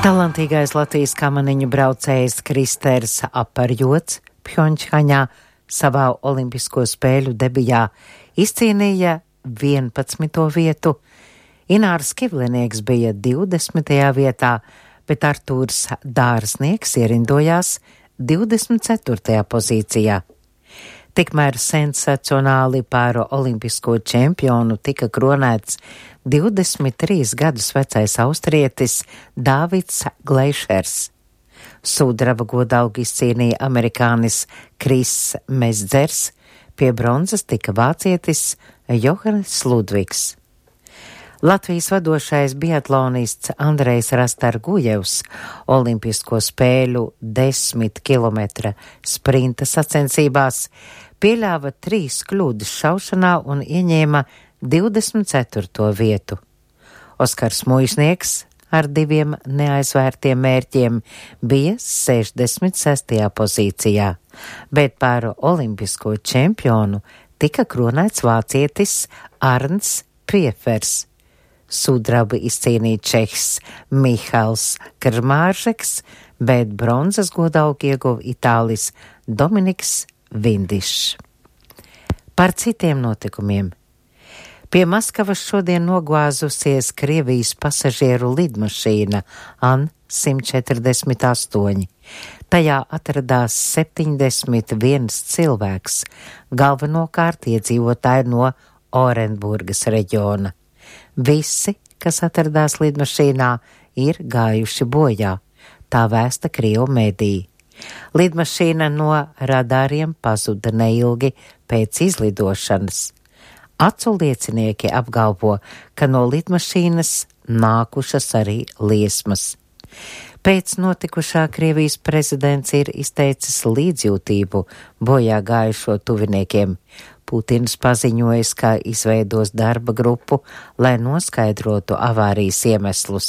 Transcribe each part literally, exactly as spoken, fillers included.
Talantīgais Latvijas kamaniņu braucējs Kristers Aparjots Pjončhaņā savā olimpisko spēļu debijā izcīnīja vienpadsmito vietu. Inārs Kivlinieks bija divdesmitajā vietā, bet Artūrs Dārsnieks ierindojās divdesmit ceturtajā pozīcijā. Tikmēr sensacionāli par olimpisko čempionu tika kronēts divdesmit trīs gadus vecais austrietis Dāvids Gleišers. Sudraba godalgu izcīnīja amerikānis Kris Mezdzers, pie bronzas tika vācietis Johannes Ludvigs. Latvijas vadošais biatlonists Andrejs Rastargujevs olimpisko spēļu desmit kilometra sprinta sacensībās pieļāva trīs kļūdas šaušanā un ieņēma divdesmit ceturto vietu. Oskars Muižnieks ar diviem neaizvērtiem mērķiem bija sešdesmit sestajā pozīcijā, bet par olimpisko čempionu tika kronēts vācietis Arns Priefers. Sudrabu izcīnīja čehs Mihails Krmāržeks, bet bronzas godalgu ieguva itālis Dominiks Vindišs. Par citiem notikumiem. Pie Maskavas šodien nogāzusies Krievijas pasažieru lidmašīna An simt četrdesmit astoņi. Tajā atradās septiņdesmit viens cilvēks, galvenokārt iedzīvotāji no Orenburgas reģiona. Visi, kas atradās lidmašīnā, ir gājuši bojā, tā vēsta Krievu mediji. Lidmašīna no radāriem pazuda neilgi pēc izlidošanas. Acu liecinieki apgalvo, ka no lidmašīnas nākušas arī liesmas. Pēc notikušā Krievijas prezidents ir izteicis līdzjūtību bojā gājušo tuviniekiem. Putins paziņojis, ka izveidos darba grupu, lai noskaidrotu avārijas iemeslus.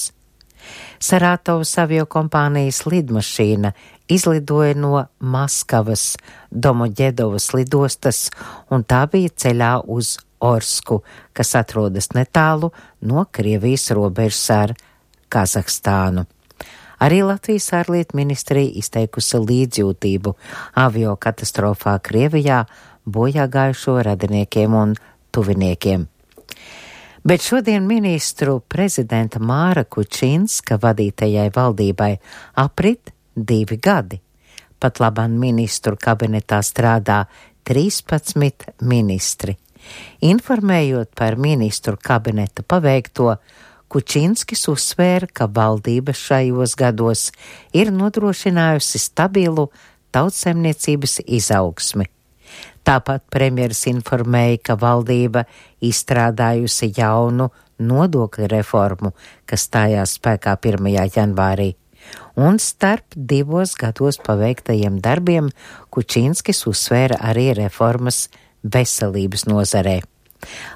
Sarātovas aviokompānijas lidmašīna izlidoja no Maskavas Domoģedovas lidostas, un tā bija ceļā uz Orsku, kas atrodas netālu no Krievijas robežas ar Kazahstānu. Arī Latvijas ārlietu ministrija izteikusi līdzjūtību avio katastrofā Krievijā bojā gājušo radiniekiem un tuviniekiem. Bet šodien ministru prezidenta Māra Kučinska vadītajai valdībai aprit divi gadi. Pat labāk ministru kabinetā strādā trīspadsmit ministri. Informējot par ministru kabineta paveikto, Kučinskis uzsvēra, ka valdība šajos gados ir nodrošinājusi stabilu tautsaimniecības izaugsmi. Tāpat premjeras informēja, ka valdība izstrādājusi jaunu nodokļu reformu, kas stājās spēkā pirmajā janvārī. Un starp divos gados paveiktajiem darbiem Kučinskis uzsvēra arī reformas veselības nozarē.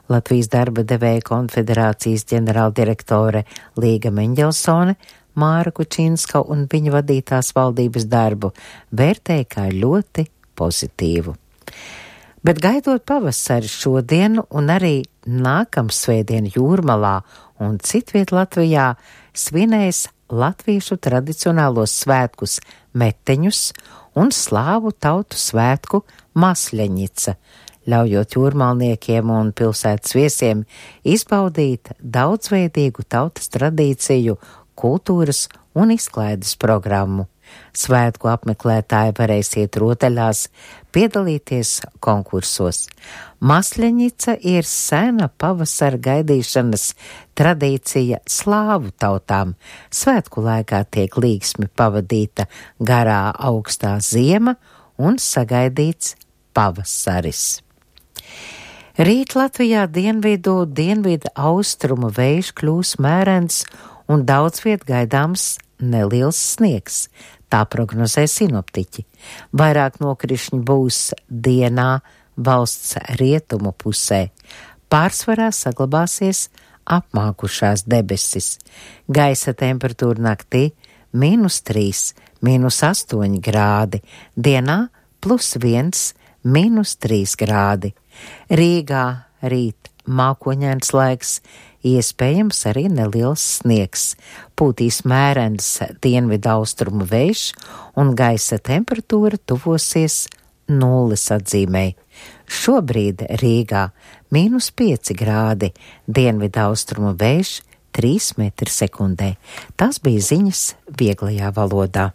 Latvijas darba devēja konfederācijas ģenerāldirektore Līga Meņģelsone Māra Kučinska un viņa vadītās valdības darbu vērtēja kā ļoti pozitīvu. Bet gaidot pavasari šodien un arī nākamsvētdien Jūrmalā un citviet Latvijā svinēs latviešu tradicionālos svētkus meteņus un slāvu tautu svētku Masļeņica, ļaujot jūrmalniekiem un pilsētas viesiem izbaudīt daudzveidīgu tautas tradīciju, kultūras un izklaides programmu. Svētku apmeklētāji varēs iet rotaļās, piedalīties konkursos. Masļeņica ir sena pavasara gaidīšanas tradīcija slāvu tautām. Svētku laikā tiek līgsmi pavadīta garā augstā ziema un sagaidīts pavasaris. Rīt Latvijā dienvidu, dienvidu austrumu vējš kļūs mērens un daudz viet gaidāms neliels sniegs. Tā prognozē sinoptiķi. Vairāk nokrišņi būs dienā valsts rietumu pusē. Pārsvarā saglabāsies apmākušās debesis. Gaisa temperatūra naktī mīnus trīs, mīnus astoņi grādi. Dienā plus viens, mīnus trīs grādi. Rīgā rīt mākoņains laiks, iespējams arī neliels sniegs, pūtīs mērens dienvidu austrumu vējš un gaisa temperatūra tuvosies nulles atzīmei. Šobrīd Rīgā mīnus pieci grādi, dienvidu austrumu vējš trīs metri sekundē. Tas bija ziņas vieglajā valodā.